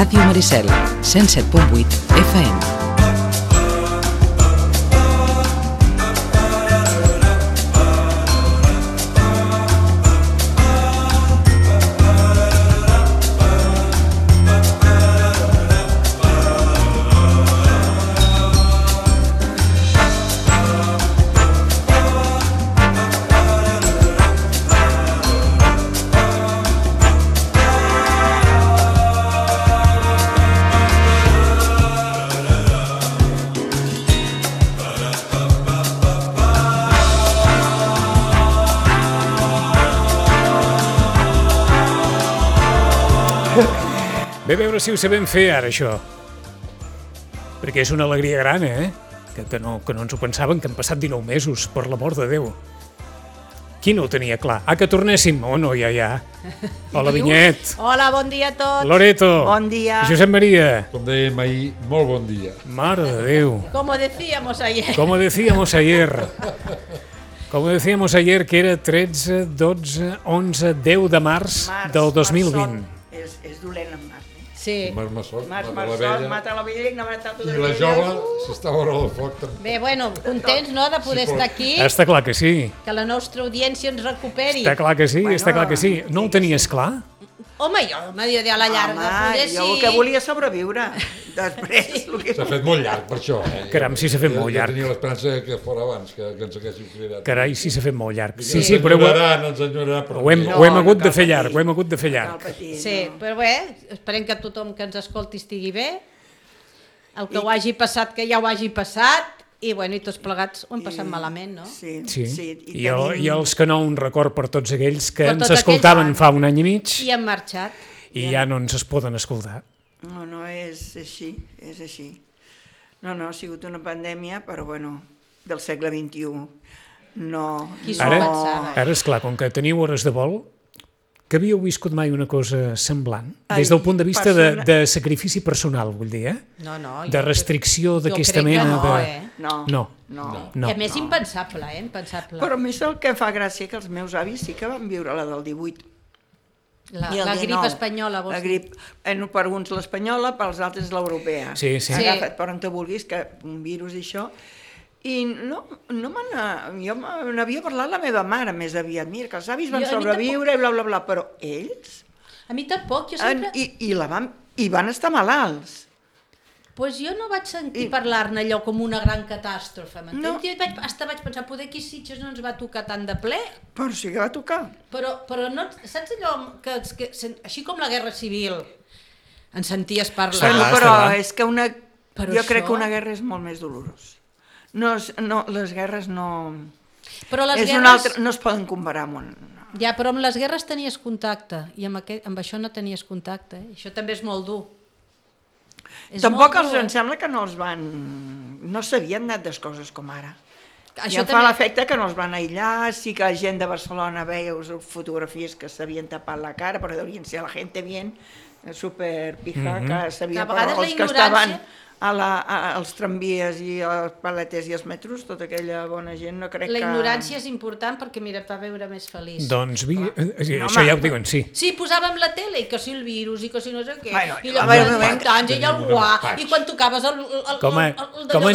Ràdio Maricel, 107.8 FM. Ve a veure si ho sabem fer ara, això. Perquè és una alegria gran, Que no ens ho pensaven, que han passat 19 mesos, per l'amor de Déu. Qui no ho tenia clar? Que tornéssim? Oh, no, ja. Hola, Vinyet. Hola, bon dia a tots. Loreto. Bon dia. Josep Maria. Com dèiem ahir, molt bon dia. Mare de Déu. Como decíamos ayer. Como decíamos ayer. Como decíamos ayer, que era 13, 12, 11, 10 de març del 2020. És dolent en març. Sí. Març Massot, mata la vella i no mata tota I la jove s'està a vora del foc també. Bé, bueno, contents, no?, de poder estar aquí. Està clar que sí. Que la nostra audiència ens recuperi. Està clar que sí, està clar que sí. No ho tenies clar? Home, jo m'he dit a la llarga. Home, jo el que volia sobreviure. Després... S'ha fet molt llarg per això. Caram, sí, s'ha fet molt llarg. Jo tenia l'esperança que fos abans, que ens haguéssiu cridat. Carai, sí, s'ha fet molt llarg. Sí, però no ens enyorarà. Ho hem hagut de fer llarg, ho hem hagut de fer llarg. Sí, però bé, esperem que tothom que ens escolti estigui bé. El que ho hagi passat, que ja ho hagi passat. I, bueno, i tots plegats ho hem passat malament, no? Sí. I els que no, un record per tots aquells que ens escoltaven fa un any i mig. I han marxat. I ja no ens es poden escoltar. No, és així, és així. No, ha sigut una pandèmia, però, bueno, del segle XXI. No... Qui s'ho pensava? Ara, esclar, com que teniu hores de vol, que havíeu viscut mai una cosa semblant? Des del punt de vista de sacrifici personal, vull dir, No. De restricció d'aquesta mena de... No. I a més, impensable, impensable. Però a més el que fa gràcia que els meus avis sí que van viure la del 18. La grip espanyola, vols dir? Per uns l'espanyola, pels altres l'europea. Sí. Agafa't per on te vulguis, que un virus i això... I jo n'havia parlat la meva mare més aviat, mira, que els avis van sobreviure i bla, bla, bla, però ells... A mi tampoc, jo sempre... I van estar malalts. Pues jo no vaig sentir parlar-ne allò com una gran catàstrofe, m'entens? No. Jo vaig pensar, poder aquí Sitges no ens va tocar tant de ple. Però sí que va tocar. Però no, saps allò que així com la Guerra Civil en senties parlar? Però és que jo crec que una guerra és molt més dolorosa. No, les guerres no... Però les guerres... No es poden comparar amb una... Ja, però amb les guerres tenies contacte, i amb això no tenies contacte. Això també és molt dur. Tampoc em sembla que no els van... No s'havien anat les coses com ara. I em fa l'efecte que no els van aïllar, sí que la gent de Barcelona veieu fotografies que s'havien tapat la cara, però deurien ser la gent bien, super pija, que sabia per els que estaven als tramvies i als paletes i als metros, tota aquella bona gent, no crec que... La ignorància és important perquè, mira, et fa veure més feliç. Doncs, això ja ho diuen, sí. Sí, posàvem la tele, i que si el virus, i que si no sé què, i llavors anys, i el guà, i quan tocaves el com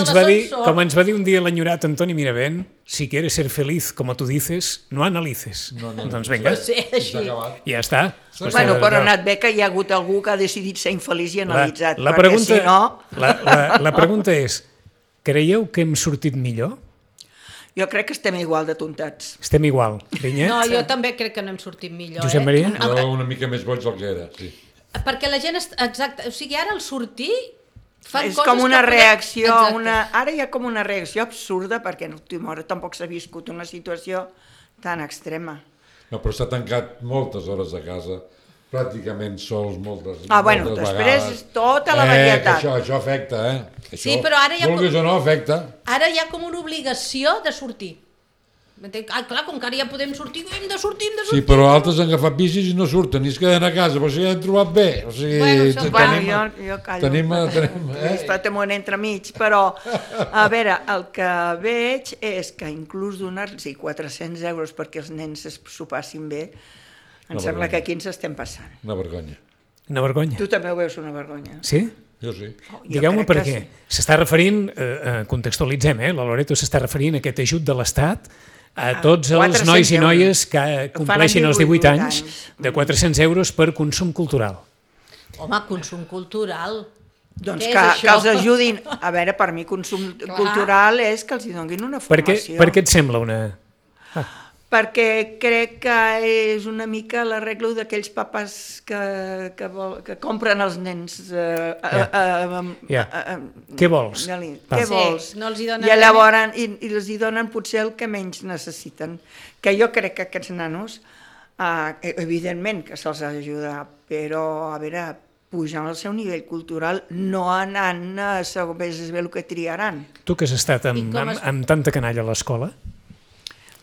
ens va dir un dia l'enyorat Antoni Miravent, si quieres ser feliz, como tú dices, no analices. Doncs vinga, ja està. Bueno, però ha anat bé que hi ha hagut algú que ha decidit ser infeliç i analitzat, perquè si no... La pregunta és, creieu que hem sortit millor? Jo crec que estem igual de tontats. Estem igual, Vinyet? No, jo també crec que no hem sortit millor. Josep Maria? Jo una mica més boig del que era, sí. Perquè la gent... Exacte, o sigui, ara el sortir... És com una reacció, ara hi ha com una reacció absurda perquè tampoc s'ha viscut una situació tan extrema. No, però s'ha tancat moltes hores a casa, pràcticament sols moltes vegades. Bueno, després tota la varietat. Això afecta, Sí, però ara vulguis o no, afecta. Ara hi ha com una obligació de sortir. Clar, com que ara ja podem sortir, hem de sortir. Sí, però altres han agafat bicis i no surten, i es queden a casa, però s'hi han trobat bé. O sigui, jo callo. Tenim estat amunt entremig, però, a veure, el que veig és que inclús donar-los 400 euros perquè els nens s'ho passin bé, em sembla que aquí ens estem passant. Una vergonya. Una vergonya. Tu també ho veus una vergonya. Sí? Jo sí. Digueu-me per què. S'està referint, contextualitzem, la Loreto s'està referint a aquest ajut de l'Estat a tots els nois i noies que compleixin els 18 anys de 400 euros per consum cultural. Home, consum cultural. Doncs que els ajudin. A veure, per mi consum cultural és que els hi donin una formació. Per què et sembla una... Perquè crec que és una mica l'arreglo d'aquells papes que compren els nens. Què vols? Què vols? No els hi donen I llavors els hi donen potser el que menys necessiten. Que jo crec que aquests nanos, evidentment que se'ls ha d'ajudar, però a veure, pujant al seu nivell cultural, no anant a saber el que triaran. Tu que has estat amb tanta canalla a l'escola?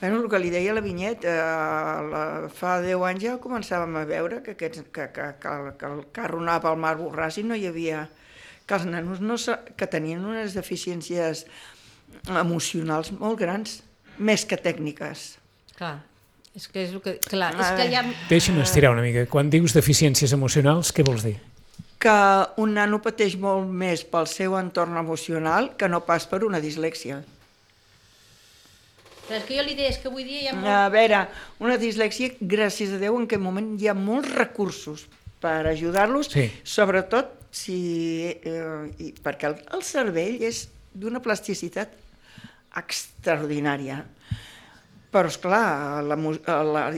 Bueno, el que li deia la Vinyet, fa 10 anys ja començàvem a veure que el carro anava pel mar Borràs i no hi havia... que els nanos que tenien unes deficiències emocionals molt grans, més que tècniques. Clar, és que és el que... Clar, és que ja... Deixa'm estirar una mica. Quan dius deficiències emocionals, què vols dir? Que un nano pateix molt més pel seu entorn emocional que no pas per una dislèxia. Però és que jo li deia, és que avui dia hi ha molt... A veure, una dislèxia, gràcies a Déu, en aquest moment hi ha molts recursos per ajudar-los, sobretot perquè el cervell és d'una plasticitat extraordinària. Però, esclar,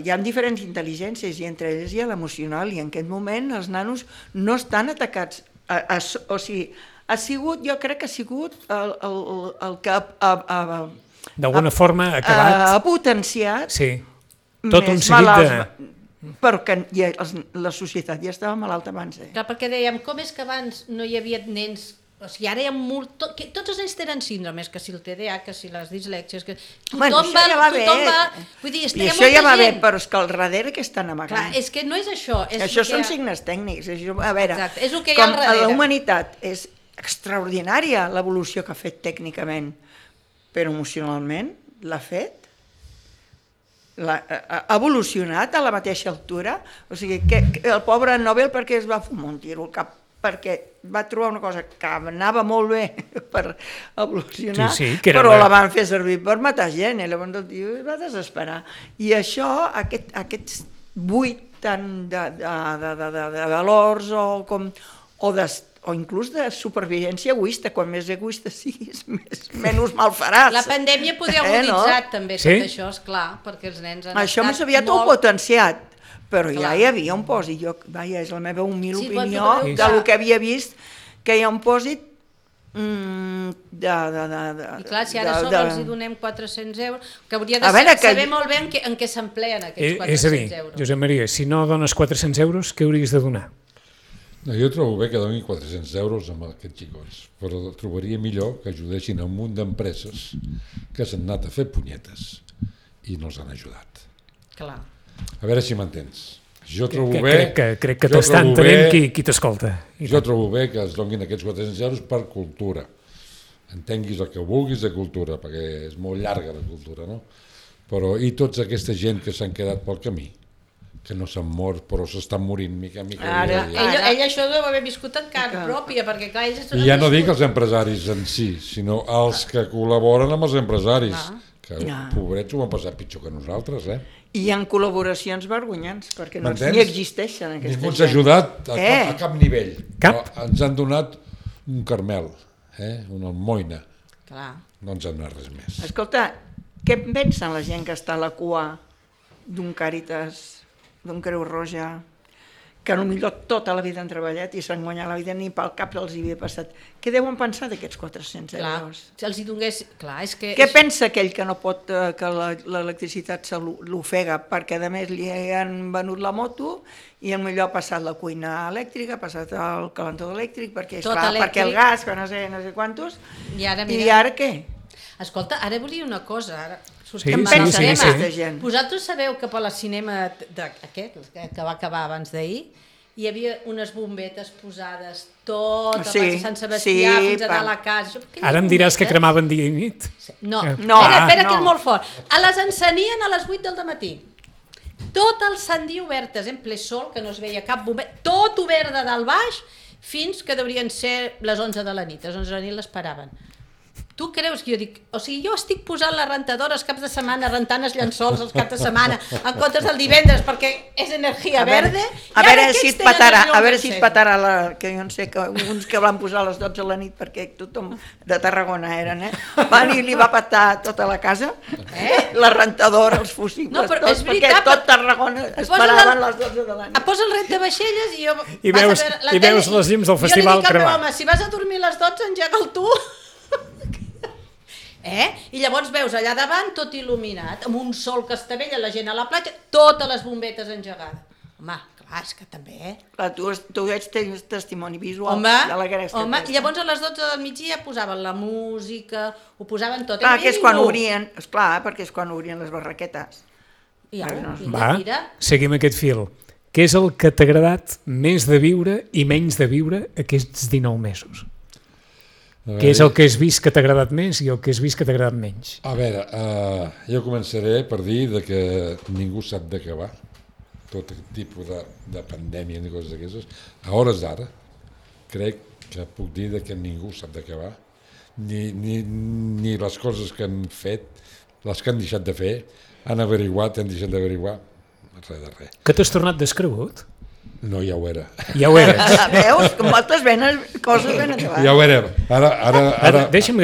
hi ha diferents intel·ligències i entre elles hi ha l'emocional i en aquest moment els nanos no estan atacats. O sigui, jo crec que ha sigut el que d'alguna forma ha acabat... Ha potenciat tot un seguit de... Però que la societat ja estava malalta abans. Clar, perquè dèiem, com és que abans no hi havia nens... O sigui, ara hi ha molt... Tots els nens tenen síndromes, que si el TDA, que si les dislèxies... Tothom va... Vull dir, i això ja va bé, però és que al darrere que estan amagant. Clar, és que no és això. Això són signes tècnics. A veure, és el que hi ha al darrere. La humanitat és extraordinària, l'evolució que ha fet tècnicament, però emocionalment l'ha fet, ha evolucionat a la mateixa altura. O sigui, que el pobre Nobel perquè es va fumar un tiro al cap, perquè va trobar una cosa que anava molt bé per evolucionar, però la van fer servir per matar gent, i llavors el tio es va desesperar. I això, aquests buit tant de valors o inclús de supervivència egoista. Quan més egoista siguis, menys mal faràs. La pandèmia podria haver aguditzat també tot això, esclar, perquè els nens han això més aviat ho potenciat, però ja hi havia un pòsit. És la meva humil opinió del que havia vist, que hi ha un pòsit I clar, si ara sols els donem 400 euros, que hauria de saber molt bé en què s'empleen aquests 400 euros. És a dir, Josep Maria, si no dones 400 euros, què hauries de donar? Jo trobo bé que donin 400 euros amb aquests xicots, però trobaria millor que ajudessin a un munt d'empreses que s'han anat a fer punyetes i no els han ajudat. Clar. A veure si m'entens. Jo trobo bé... Crec que t'està entenent qui t'escolta. Jo trobo bé que es donin aquests 400 euros per cultura. Entenguis el que vulguis de cultura, perquè és molt llarga la cultura, no? Però i tota aquesta gent que s'han quedat pel camí, que no s'han mort, però s'estan morint mica en mica. Ell això deu haver viscut en carn pròpia, perquè clar, ells... I ja no dic els empresaris en si, sinó els que col·laboren amb els empresaris, que pobrets ho han passat pitjor que nosaltres, I hi ha col·laboracions vergonyants, perquè no ni existeixen aquesta gent. Ningú ens ha ajudat a cap nivell. Cap? Ens han donat un Carmel, una almoina. Clar. No ens han donat res més. Escolta, què pensen la gent que està a la cua d'un Càritas, d'un Creu Roja, que potser tota la vida han treballat i s'han guanyat la vida, ni pel cap els hi havia passat. Què deuen pensar d'aquests 400 euros? Si els hi donés... Clar, és que... Què pensa aquell que no pot, que l'electricitat se l'ofega, perquè a més li han venut la moto i potser ha passat la cuina elèctrica, ha passat el calentador elèctric, perquè el gas, que no sé quantos, i ara què? Escolta, ara volia una cosa, Què en pensa aquesta gent? Vosaltres sabeu que per la cinema aquest, que va acabar abans d'ahir, hi havia unes bombetes posades tot a Sant Sebastià fins a dalt a casa. Ara em diràs que cremaven dia i nit. No, espera que és molt fort. Les encenien a les 8 del matí. tot el Sant Dia obertes, en ple sol, que no es veia cap bomber, tot obert de dalt baix, fins que deurien ser les 11 de la nit. Les 11 de la nit l'esperaven. Tu creus que jo dic... O sigui, jo estic posant la rentadora els caps de setmana, rentant els llençols els caps de setmana, en comptes del divendres, perquè és energia verda. A veure si et patarà, que jo no sé, que uns que van posar a les 12 de la nit, perquè tothom de Tarragona eren, van i li va patar tota la casa, la rentadora, els fusibles, tots, perquè tot Tarragona esperaven les 12 de la nit. Posa el rentabaixelles i jo... I veus les llums del festival cremant. Home, si vas a dormir a les 12, engega'l tu. I llavors veus allà davant tot il·luminat, amb un sol que estavella la gent a la platja, totes les bombetes engegades. Home, clar, és que també, Clar, tu ets testimoni visual de la gresca. Home, i llavors a les 12 del migdia posaven la música, ho posaven tot. Clar, que és quan obrien, esclar, perquè és quan obrien les barraquetes. Va, seguim aquest fil. Què és el que t'ha agradat més de viure i menys de viure aquests 19 mesos? Què és el que has vist que t'ha agradat més i el que has vist que t'ha agradat menys? A veure, jo començaré per dir que ningú sap d'acabar tot tipus de pandèmia ni coses d'aquestes. A hores d'ara crec que puc dir que ningú sap d'acabar, ni les coses que han fet, les que han deixat de fer, han averiguat, han deixat d'averiguar, res de res. Que t'has tornat descregut? No, ja ho era. Ja ho eres. Veus? Com moltes coses ben acabades. Ja ho era. Ara deixa'm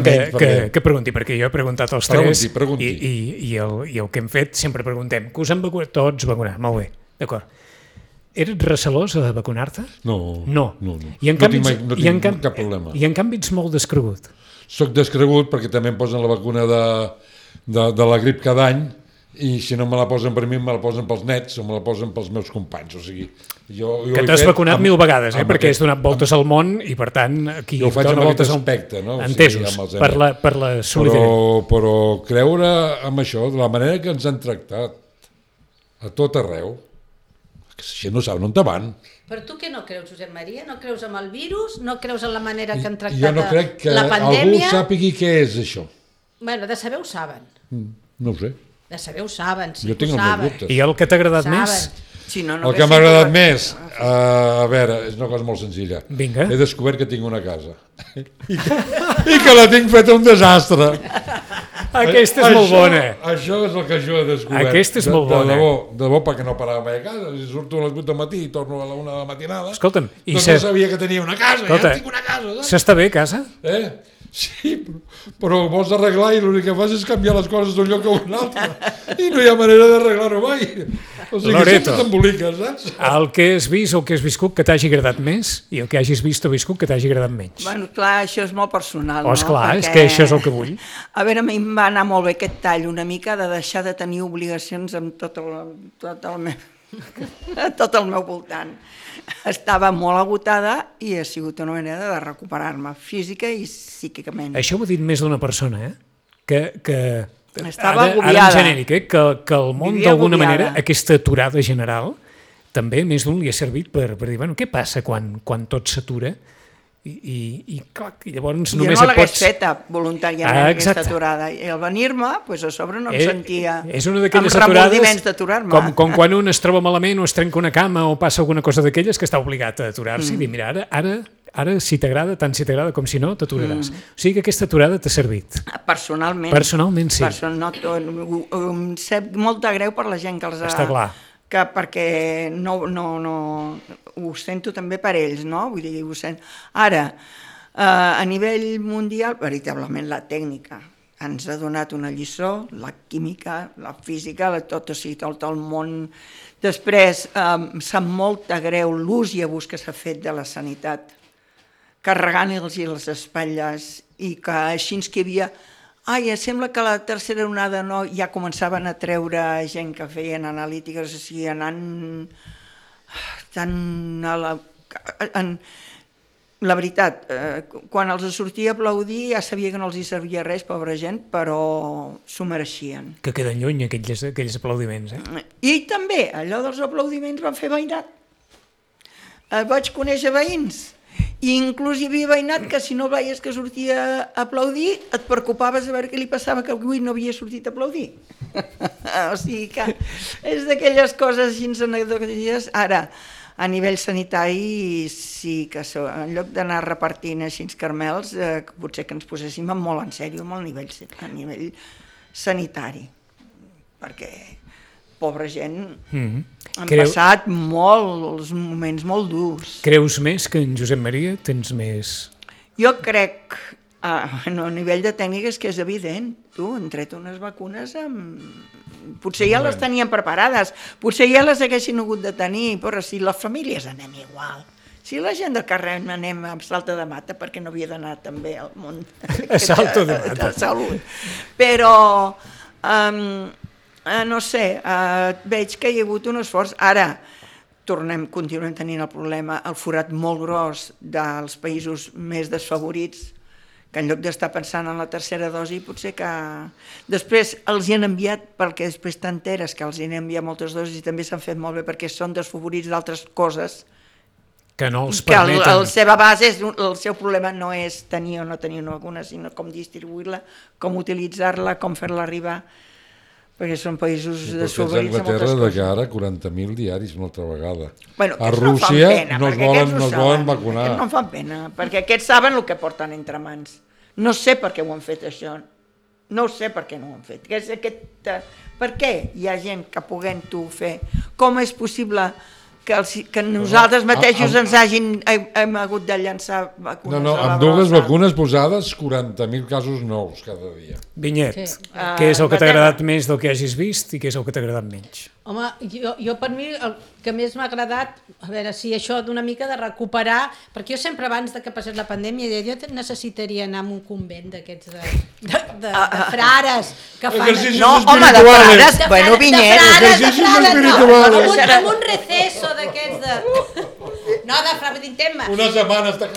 que pregunti, perquè jo he preguntat als tres i el que hem fet sempre preguntem que us han vacunat, tots vacunat, molt bé, d'acord. Eres recelós de vacunar-te? No. I en canvi, no tinc cap problema. I en canvi ets molt descregut. Soc descregut perquè també em posen la vacuna de la grip cada any, i si no me la posen per mi, me la posen pels nets o me la posen pels meus companys. O sigui, jo que t'has vacunat 1000 vegades, perquè has donat voltes al món i per tant aquí jo ho faig amb aquest aspecte, no? Entesos, per la solidaritat. Però creure en això, de la manera que ens han tractat a tot arreu, que si no saben on te van. Però tu què no creus, Josep Maria? No creus en el virus? No creus en la manera que han tractat jo no crec que la pandèmia? Algú sàpigui què és això. Bueno, de saber ho saben. No ho sé. De saber ho saben, sí jo tinc ho saben. dubtes. I el que t'ha agradat més? Si no, el que m'ha agradat més, a veure, és una cosa molt senzilla. Vinga. He descobert que tinc una casa. I que la tinc feta un desastre. Aquesta és molt bona. Això és el que jo he descobert. Aquesta és molt bona. De debò, perquè no parava mai a casa. Si surto a les 8 del matí i torno a la 1 de la matinada, escolta'm, no sabia que tenia una casa. Ja tinc una casa. S'està bé, casa? Sí, però ho vols arreglar i l'únic que fas és canviar les coses d'un lloc a un altre. I no hi ha manera d'arreglar-ho mai. O sigui, sempre t'emboliques, saps? El que has vist o el que has viscut que t'hagi agradat més i el que hagis vist o viscut que t'hagi agradat menys. Bueno, clar, això és molt personal, no? Esclar, és que això és el que vull. A veure, a mi em va anar molt bé aquest tall, una mica de deixar de tenir obligacions amb tot el meu voltant. Estava molt agotada i ha sigut una manera de recuperar-me física i psíquicament. Això ho ha dit més d'una persona, que estava agobiada. Ara en genèric, que el món d'alguna manera, aquesta aturada general, també més d'un li ha servit per dir, bueno, què passa quan tot s'atura? I clar, llavors només jo no l'hagués feta voluntàriament aquesta aturada i al venir-me a sobre no em sentia amb remordiments d'aturar-me com quan un es troba malament o es trenca una cama o passa alguna cosa d'aquelles que està obligat a aturar-se i dir, mira, ara si t'agrada, tant si t'agrada com si no, t'aturaràs. O sigui que aquesta aturada t'ha servit. Personalment sí. Em sap molt de greu per la gent que els ha... Està clar. Perquè no ho sento també per ells, no? Vull dir, ho sento. Ara, a nivell mundial, veritablement la tècnica ens ha donat una lliçó, la química, la física, tot el món. Després, sap molt de greu l'ús i abús que s'ha fet de la sanitat, carregant-los les espatlles i que així que hi havia... sembla que la tercera onada no, ja començaven a treure gent que feien analítiques, o sigui, anant tan a la... La veritat, quan els sortia a aplaudir ja sabia que no els hi servia res, pobra gent, però s'ho mereixien. Que queden lluny aquells aplaudiments, I també allò dels aplaudiments van fer veïnat. Vaig conèixer veïns I inclús hi havia veïnat que si no veies que sortia a aplaudir, et preocupaves a veure què li passava, que avui no havia sortit a aplaudir. O sigui que és d'aquelles coses així anecdòtiques. Ara, a nivell sanitari, sí que en lloc d'anar repartint així carmels, potser que ens poséssim molt en sèrio amb el nivell sanitari. Perquè, pobra gent, han passat molts moments molt durs. Creus més que en Josep Maria? Tens més... Jo crec, a nivell de tècniques, que és evident. Tu, han tret unes vacunes potser ja les tenien preparades, potser ja les haguessin hagut de tenir, però si les famílies anem igual. Si la gent del carrer anem a Salta de Mata, perquè no havia d'anar també al món a Salta de Mata. De salut. Però... no sé, veig que hi ha hagut un esforç. Ara continuem tenint el problema, el forat molt gros dels països més desfavorits, que en lloc d'estar pensant en la tercera dosi, potser que després els hi han enviat, perquè després t'enteres que els hi han enviat moltes dosis i també s'han fet molt bé perquè són desfavorits d'altres coses que no els permeten. Que la seva base, el seu problema no és tenir o no tenir una vacuna, sinó com distribuir-la, com utilitzar-la, com fer-la arribar, perquè són països desfavorits a moltes coses. Que ara 40.000 diaris una altra vegada. Bueno, a Rússia no es volen vacunar. Aquests no fan pena, perquè aquests saben el que porten entre mans. No sé per què ho han fet això, no sé per què no ho han fet. Per què hi ha gent que puguent-ho fer? Com és possible que nosaltres mateixos ens hem hagut de llançar vacunes? No, amb dues vacunes posades, 40.000 casos nous cada dia. Vinyet, què és el que t'ha agradat més del que hagis vist i què és el que t'ha agradat menys? Home, jo per mi el que més m'ha agradat, a veure si això d'una mica de recuperar, perquè jo sempre abans de que passés la pandèmia jo necessitaria anar a un convent d'aquests de frares que fan... No, home, de frares, bueno, Vinyet. Amb un receso d'aquests de... No, de frares, tema. Una setmana està...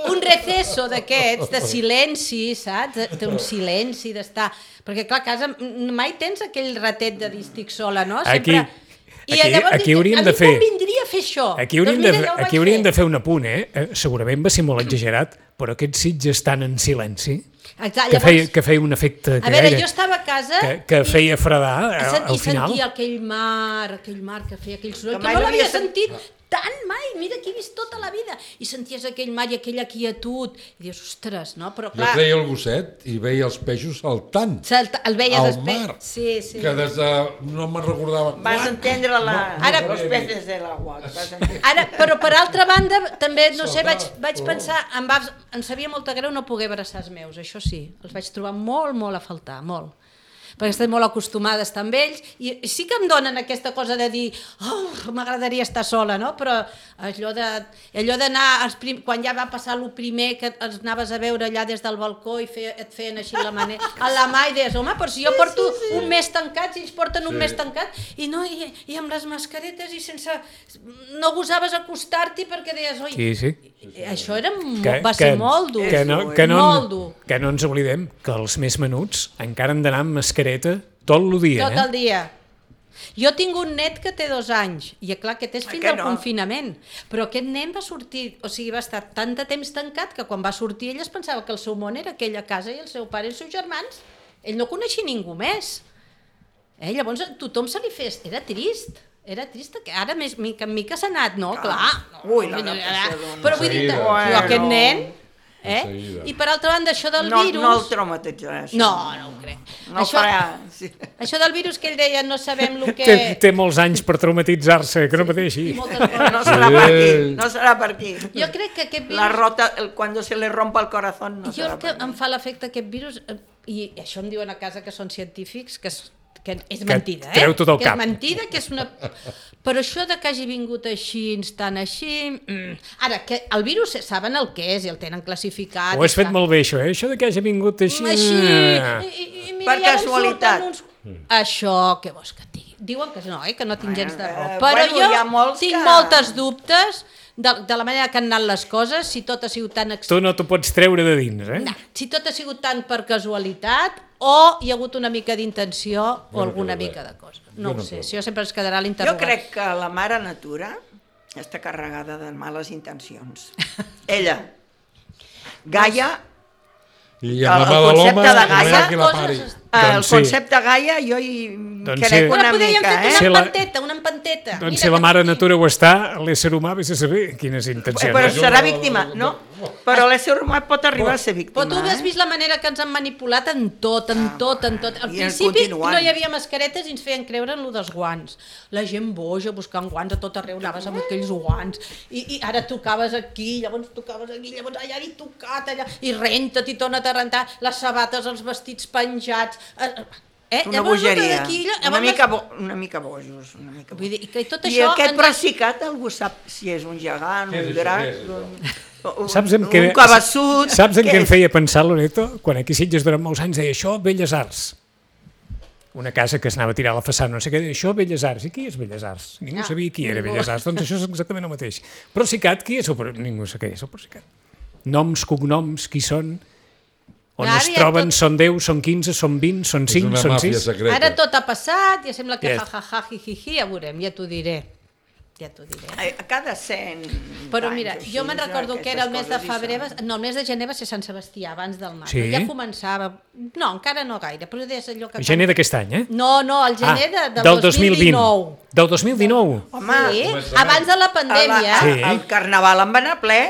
Un receso d'aquests, de silenci, saps? Un silenci, d'estar... Perquè, clar, a casa mai tens aquell ratet de dir estic sola, no? Sempre... Aquí hauríem de fer... A mi convindria fer això. Aquí hauríem de fer un apunt, segurament va ser molt exagerat, però aquests Sitges estan en silenci, que feia un efecte... A veure, jo estava a casa... Que feia fredar al final. I sentia aquell mar que feia aquell soroll, que no l'havia sentit tant mai, mira que he vist tota la vida, i senties aquell mar i aquella quietud, i dius, ostres, no? Però clar... Jo treia el gosset i veia els peixos saltant el veies al mar, sí. Que des de... no me'n recordava quan. Vas entendre los peces de l'agua. Ara, però per altra banda, també, no sé, vaig pensar, em sabia molta greu no poder abraçar els meus, això sí, els vaig trobar molt a faltar, molt. Perquè estan molt acostumada a estar amb ells, i sí que em donen aquesta cosa de dir m'agradaria estar sola, no? Però allò d'anar, quan ja va passar el primer, que els anaves a veure allà des del balcó i et feien així la mà i deies, home, però si jo porto un mes tancat, si ells porten un mes tancat, i amb les mascaretes i sense... no gosaves acostar-t'hi perquè deies, oi, això va ser molt dur, molt dur. Que no ens oblidem que els més menuts encara han d'anar amb mascareta tot el dia. Tot el dia. Jo tinc un net que té 2 anys, i clar, aquest és fill del confinament, però aquest nen va sortir, o sigui, va estar tant de temps tancat que quan va sortir ell es pensava que el seu món era aquella casa i el seu pare i els seus germans. Ell no coneixia ningú més. Llavors tothom se li fes... Era trist, que ara mica en mica s'ha anat, no? Clar. Però vull dir, aquest nen... I per altra banda, això del virus... No el traumatitzaràs. No ho crec. Això del virus que ell deia, no sabem el que... Té molts anys per traumatitzar-se, que no pateixi. No serà per aquí. Jo crec que aquest virus... La rota, quan se le rompa el corazón, no serà per aquí. Jo em fa l'efecte aquest virus, i això em diuen a casa que són científics, que és mentida, treu tot el cap. Que és mentida, que és una... Però això de que hagi vingut així, tan així... Ara, que el virus saben el que és i el tenen classificat... Ho has fet molt bé, això de que hagi vingut així... Per casualitat. Això, què vols que et digui? Diuen que no, que no tinc gens de raó. Però jo tinc moltes dubtes de la manera que han anat les coses, si tot ha sigut tan... Tu no t'ho pots treure de dins, No, si tot ha sigut tant per casualitat o hi ha hagut una mica d'intenció o alguna mica de cosa. No ho sé, això sempre ens quedarà l'interrogat. Jo crec que la mare natura està carregada de males intencions. Ella, Gaia, I amb la mà de l'home, concepte de no hi ha qui la Gaia, pari. el concepte Gaia jo hi crec una podríem mica, fer una la- empanteta. Doncs si la mare natura ho està, l'ésser humà vés a saber quines intencions. Però serà víctima, no? Però l'ésser humà pot arribar a ser víctima. Però tu has vist la manera que ens han manipulat en tot. Al i principi continuant. no hi havia mascaretes i ens feien creure en lo dels guants. La gent boja buscant guants a tot arreu, anaves amb aquells guants i ara tocaves aquí, llavors tocaves aquí, llavors allà i tocat allà, i renta't i torna't a rentar, les sabates, els vestits penjats... Una bogeria, una mica bojos. Vull dir, que tot I això aquest Procicat algú sap si és un gegant, un drac, Saps un cabeçut... Saps en què em feia pensar, Loreto? Quan aquí a Sitges durant molts anys deia això, Belles Arts. Una casa que s'anava a tirar a la façana, no sé què, deia això, Belles Arts. I qui és Belles Arts? Ningú sabia qui era Belles Arts. Doncs això és exactament el mateix. Procicat, qui és? Ningú sap què és el Procicat. Noms, cognoms, qui són... On es troben, són 10, són 15, són 20, són 5, són 6... Secreta. Ara tot ha passat, ja sembla que Yes. ja veurem, ja t'ho diré. Cada 100 Però anys mira, així, jo me'n recordo que era el mes de aquestes febrer, coses hi no, el mes de gener va ser Sant Sebastià, abans del mar. Sí? Ja començava, no, encara no gaire, però és allò que... Gener d'aquest any, eh? No, el gener del del 2019. Del 2019? Home, Sí, abans de la pandèmia. Sí. el carnaval en va anar ple,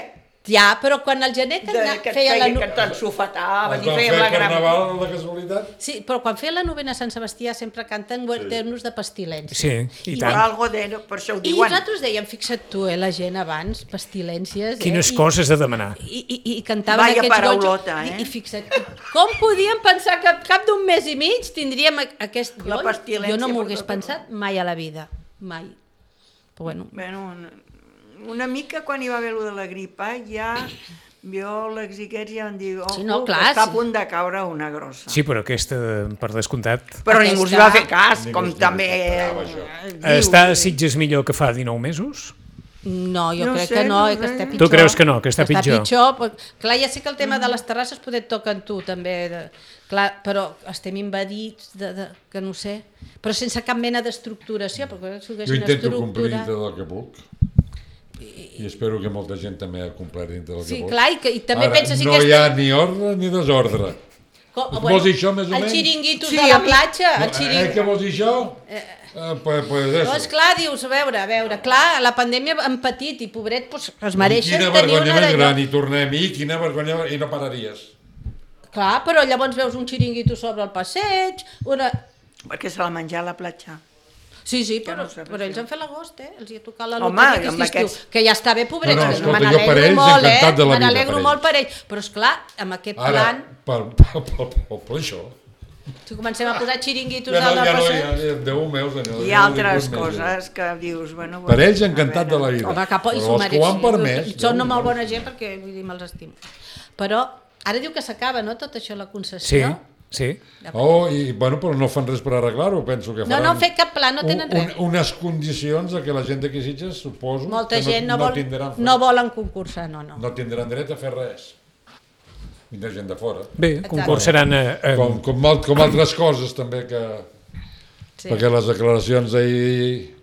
Ja, però quan el gener que feia la... que t'ensofetaven Es i va fèiem fer la gran... carnaval de casualitat? Sí, però quan feia la novena a Sant Sebastià sempre canten guarder-nos de pestilència. Sí, i I tant. algo de... Per això ho I diuen. nosaltres dèiem, fixa't tu, la gent abans, pestilències... Quines coses de demanar. I cantaven Vaya aquests paraulota, goig. eh? I fixa't, com podíem pensar que al cap d'un mes i mig tindríem aquest... La pestilència Jo no m'ho per hagués tot pensat mai a la vida, mai. Però bueno, Bueno, una mica quan hi va haver allò de la gripa, ja biòlegs i aquests ja van dir Sí, no, que clar, està a sí. punt de caure una grossa. Sí, però aquesta, per descomptat... Però Aquesta- ningú s'hi va fer cas, com Ningú s'hi també... respectava, això. dius. Està a Sitges millor que fa 19 mesos? no, jo No crec sé, que no, no que sé. està Tu pitjor. creus que no, que està pitjor? Però, clar, ja sé que el tema de les terrasses poder et toca en tu, també. Clar, però estem invadits, que no sé, però sense cap mena d'estructuració, perquè si ho Jo haguessin intento complir estructurat... dintre del que puc i espero que molta gent també ha complert dintre del que Sí, pot. clar, i també Ara, penses... no hi ha ni ordre ni desordre. Vols dir això, més o el menys? xiringuitos Sí, de la a mi- platja, el Què xiringuito... vols dir això? Pues eso. Doncs clar, dius, a veure, clar, la pandèmia han patit i pobret, doncs, es mereixen Quina tenir vergonya una més d'allò. gran, i tornem-hi, quina vergonya, i no pararies. Clar, però llavors veus un xiringuito sobre el passeig, una... Perquè se la menjar a la platja. Sí, Que però, no sé però res, ells han fet l'agost, els hi ha tocat la Home, loteria amb aquest estiu, aquests- que ja està bé, pobrets, No, no, que escolta, me jo per n'alegro ells molt, encantat de la me vida, n'alegro per molt per ells, però esclar, amb aquest Ara, plan, per això... si comencem a posar xiringuitos Ja no, dalt ja del no, passeig... ja, Déu meu, senyor. Hi ha altres coses que dius, bueno... Per ells a encantat de veure. la vida. Home, cap, i Però s'ho els que ho han permès... mereixen. Són molt bona gent perquè vull dir, me'ls estimo. Però ara diu que s'acaba, no?, tot això, la Sí, concessió. sí. Oh, i bueno, però no fan res per arreglar-ho, penso que No, faran... no han fet cap pla, no tenen res. Unes condicions de que la gent d'aquí Sitges, suposo, Molta que gent tindran, no volen concursar, no. no tindran dret a fer res. Vindrà gent de fora. Bé, concursaran Com altres coses també que... Sí. Perquè les declaracions d'ahir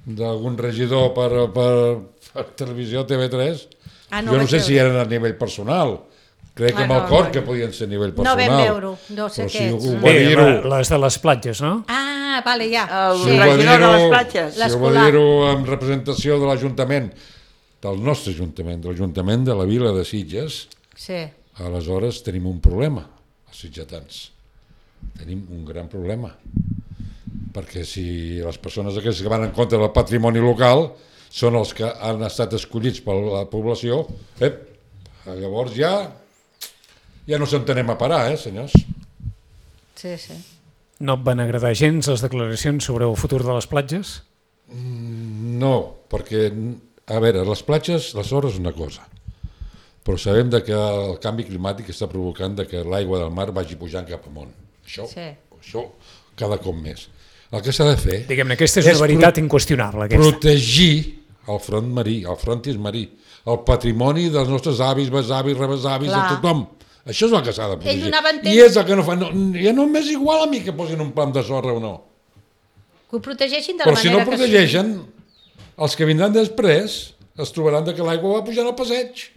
d'algun regidor per televisió TV3, Ah, jo no vaig sé si veure. eren a nivell personal. Crec que amb el cor que podien ser a nivell No personal. vam veure-ho, no sé Però què si ets. ho va Bé, dir-ho... les de les platges, no? Ah, vale, ja. El Si ho va regidor de dir-ho- les platges. Si ho va L'escolar. dir-ho en representació de l'Ajuntament, del nostre Ajuntament, de l'Ajuntament de la Vila de Sitges, Sí. aleshores tenim un problema, els sitgetans. Tenim un gran problema. Perquè si les persones aquestes que van en contra del patrimoni local són els que han estat escollits per la població, llavors ja no s'entenem a parar, senyors? Sí, sí. No et van agradar gens les declaracions sobre el futur de les platges? No, perquè, a veure, les platges, les sorres és una cosa, però sabem que el canvi climàtic està provocant que l'aigua del mar vagi pujant cap amunt. Això cada cop més. El que s'ha de fer... Diguem-ne, aquesta és una veritat inqüestionable. Protegir el front marí, el frontis marí, el patrimoni dels nostres avis, besavis, rebesavis, de tothom. Això és el que s'ha de protegir. I és el que no fan. Ja no m'és igual a mi que posin un plam de sorra o no. Que ho protegeixin de Però la si no manera que protegeixen, Els que vindran després es trobaran que l'aigua va pujant al passeig.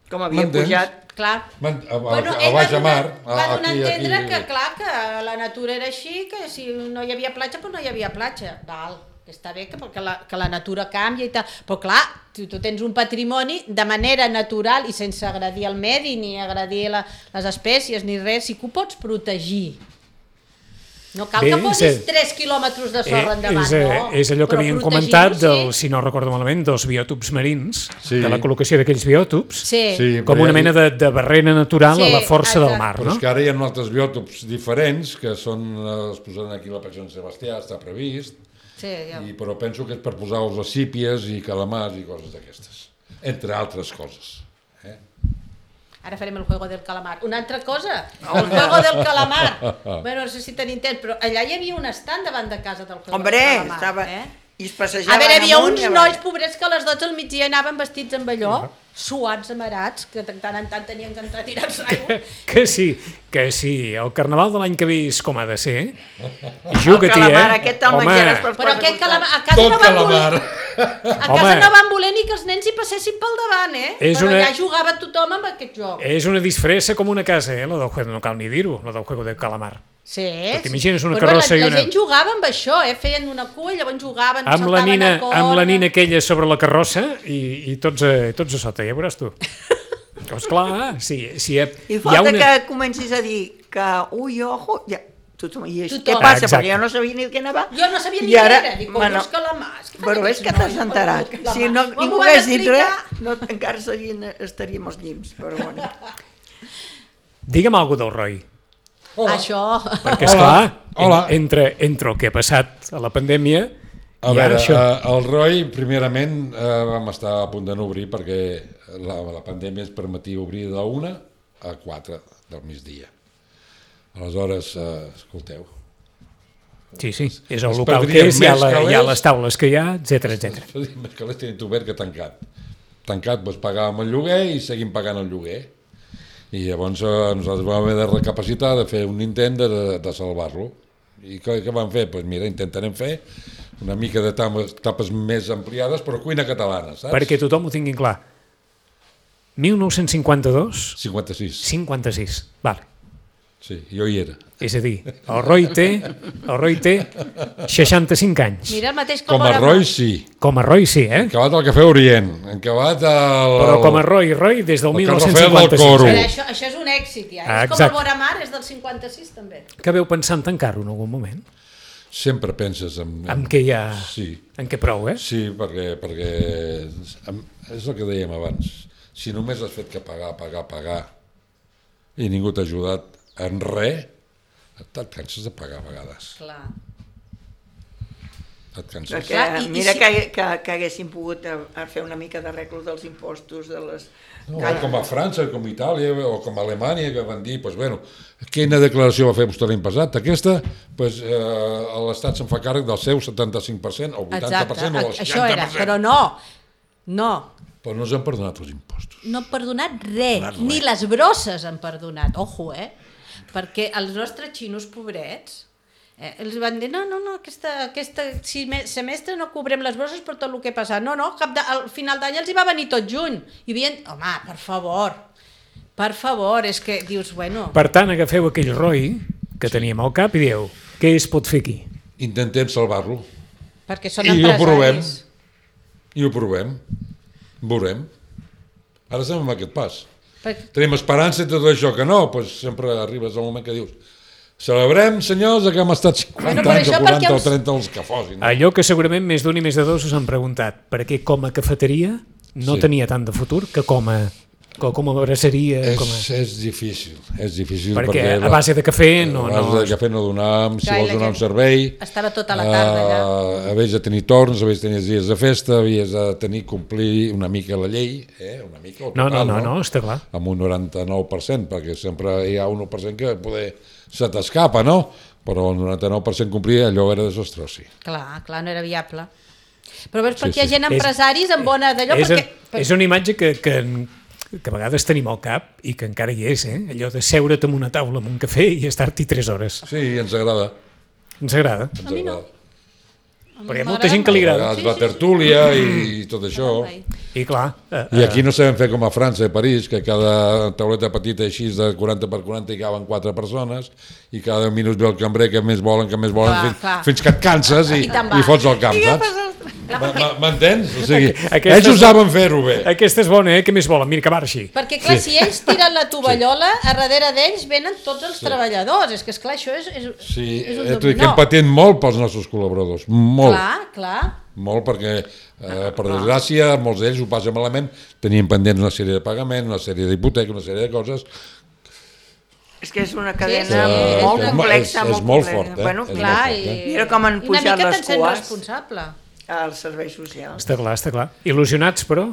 Com havia pujat. Clar. A baix a mar. Va donar a entendre que, clar, que la natura era així, que si no hi havia platja, doncs no hi havia platja. Val, que està bé que la natura canvia i tal. Però, clar, tu tens un patrimoni de manera natural i sense agredir el medi, ni agredir les espècies, ni res, sí que ho pots protegir. No cal que posis 3 quilòmetres de sorra endavant, no? És allò que havien comentat, si no recordo malament, dels biòtops marins, de la col·locació d'aquells biòtops, com una mena de barrera natural a la força del mar. Però és que ara hi ha altres biòtops diferents, que es posaran aquí a la Platja de Sant Sebastià, està previst, però penso que és per posar-los a sípies i calamars i coses d'aquestes, entre altres coses. Ara farem el juego del calamar. Una altra cosa, el juego del calamar. Bueno, no sé si tenim temps, però allà hi havia un estand davant de casa del juego del calamar. Hombre, estava... I es passejaven a veure, hi havia uns nois pobrets que a les 12 del migdia anaven vestits amb allò, suats, amarats, que de tant en tant tenien que entrar a tirar-se aigua. Que sí, el carnaval de l'any que ve és com ha de ser. Juga-t'hi, Home, però aquest calamar... A casa no van voler ni que els nens hi passessin pel davant, però allà jugava tothom amb aquest joc. És una disfressa com una casa, la del juego, no cal ni dir-ho, la del juego del calamar. Sí, t'imagines una carrossa i una... La gent jugava amb això, feien una cua i llavors jugaven, saltaven a corda... Amb la nina aquella sobre la carrossa i tots a sota, ja veuràs tu. Esclar, sí. I falta que comencis a dir que, ojo, ja... I què passa? Perquè jo no sabia ni què anava. Jo no sabia ni què era. Dic, els calamars. Però és que t'has enterat. Si ningú hagués dit res, encara estaríem als llims. Però bueno. Digue'm alguna del Roy. Això. Perquè, esclar, entre el que ha passat a la pandèmia i ara això. El Roy, primerament, vam estar a punt de no obrir perquè la pandèmia ens permetia obrir de 1 a 4 del migdia. Aleshores, escolteu. Sí, és el local que és, hi ha les taules que hi ha, etcètera. Més calés tenint obert que tancat. Tancat, doncs pagàvem el lloguer i seguim pagant el lloguer. I llavors nosaltres vam haver de recapacitar, de fer un intent de salvar-lo. I què vam fer? Doncs mira, intentarem fer una mica de tapes més ampliades, però cuina catalana, saps? Perquè tothom ho tingui clar. 1952? 56. Vale. Sí, jo hi era. És a dir, el Roy té 65 anys. Mira el mateix com a Roy, sí. Com a Roy, sí, Acabat al Cafè Orient, acabat Però com a Roy des del 1956. Això és un èxit, ja. És com el Vora Mar, és del 56, també. Que veu pensant tancar-ho en algun moment? Sempre penses en què hi ha... Sí. En què prou, Sí, perquè és el que dèiem abans. Si només has fet que pagar, i ningú t'ha ajudat en res, et canses de pagar a vegades. Clar. Et canses. Perquè mira que haguéssim pogut fer una mica d'arreglo dels impostos de les... Com a França, com a Itàlia o com a Alemanya, que van dir, quina declaració va fer vostè l'any passat? Aquesta, l'Estat se'n fa càrrec del seu 75%, o 80%, o el 60%. Això era, però no. Però no ens han perdonat els impostos. No han perdonat res, ni les brosses han perdonat, ojo, perquè els nostres xinos pobrets els van dir, no, aquest semestre no cobrem les brosses per tot el que ha passat. No, al final d'any els hi va venir tot juny. I havien, home, per favor, és que dius, bueno... Per tant, agafeu aquell Roy que teníem al cap i dieu, què es pot fer aquí? Intentem salvar-lo. Perquè són empresaris. I ho provem. Veurem. Ara estem en aquest pas. Tenim esperança i tot això, que no, sempre arribes al moment que dius celebrem, senyors, que hem estat 50 anys o 40 o 30 els que fossin. Allò que segurament més d'un i més de dos us han preguntat, perquè com a cafeteria no tenia tant de futur que com a braceria... És difícil, perquè a base de cafè no... A base de cafè no donàvem, si vols donar un servei... Estava tota la tarda allà. Havies de tenir torns, havies de tenir dies de festa, havies de complir una mica la llei, una mica o total, no, està clar. Amb un 99%, perquè sempre hi ha un 1% que poder se t'escapa, no? Però el 99% complir allò era desastrós, sí. Clar, no era viable. Però veus, perquè hi ha gent empresaris amb bona d'allò... És una imatge que a vegades tenim al cap i que encara hi és, allò de seure't en una taula amb un cafè i estar-t'hi 3 hores. Sí, ens agrada. Ens agrada. A mi no. Però hi ha molta gent que li agrada. La tertúlia i tot això. I clar... I aquí no sabem fer com a França i París, que cada tauleta petita així de 40 per 40 hi caben 4 persones i cada 10 minuts ve el cambrer que més volen, fins que et canses i fots al camp, saps? M'entens? O sigui, ells ho saben fer-ho bé. Aquesta és bona, Què més volen? Mira, que marxi. Perquè, clar, si ells tiren la tovallola, a darrere d'ells venen tots els treballadors. És que, esclar, això és un dominó. Que hem patit molt pels nostres col·laboradors. Molt. Clar. Molt, perquè, per desgràcia, molts d'ells ho passen malament. Tenien pendents una sèrie de pagaments, una sèrie d'hipoteca, una sèrie de coses. És que és una cadena molt complexa. És molt fort, Bueno, clar, mira com han pujat les una mica te'n sent cues responsable. als serveis socials. Està clar. Il·lusionats, però?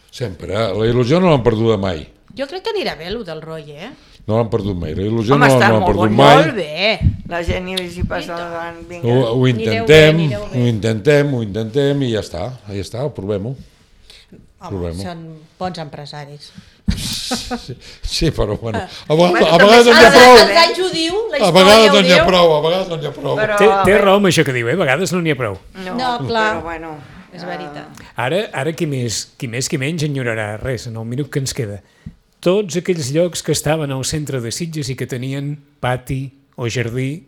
Sempre. La il·lusió no l'han perduda mai. Jo crec que anirà bé, el del Roy, No l'han perdut mai. La il·lusió Home, no l'han perdut mai. Molt bé. La gent hi passa davant. Ho intentem i ja està, ho provem-ho. Home, són bons empresaris. Sí, però bueno, a vegades no n'hi ha prou. Els anys ho diu, la A història vegades ho no n'hi ha diu. prou, a vegades no n'hi ha prou. Té raó amb això que diu, A vegades no n'hi ha prou. No, clar, Però bueno, és veritat. Ara qui menys enyorarà res en el minut que ens queda. Tots aquells llocs que estaven al centre de Sitges i que tenien pati o jardí,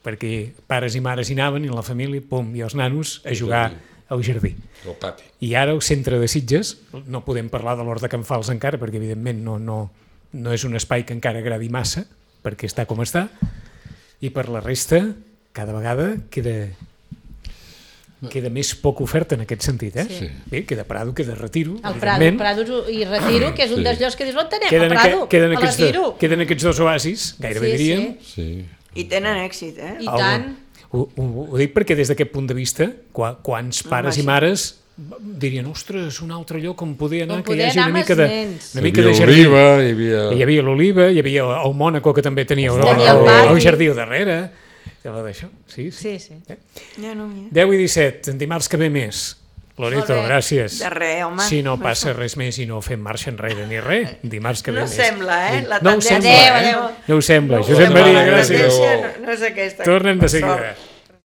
perquè pares i mares hi anaven i la família, i els nanos a jugar al jardí. El pati. I ara al centre de Sitges, no podem parlar de l'Hort de Can Fals encara, perquè evidentment no és un espai que encara agradi massa, perquè està com està, i per la resta, cada vegada queda més poc oferta en aquest sentit, Sí. Bé, queda Prado, queda Retiro, El Prado i Retiro, que és un dels llocs que dius, on tenem el Prado? A Retiro. Queden aquests dos oasis, gairebé diríem. Sí. i tenen èxit, I tant. Ho dic perquè des d'aquest punt de vista, quants pares i mares dirien, ostres, un altre lloc on poder anar, que hi hagi una mica de jardí. Hi havia l'Oliva, hi havia el Mònaco, que també tenia el jardí al darrere. D'això, sí. Ja no, mira. 10 i 17, en dimarts que ve més. Loreto, gràcies. De res, home. Si no passa res més i no fem marxa enrere ni res, dimarts que ve No més. sembla, la No ho tendència. sembla, No ho sembla. Josep Maria, gràcies. No és aquesta. Tornem de seguida.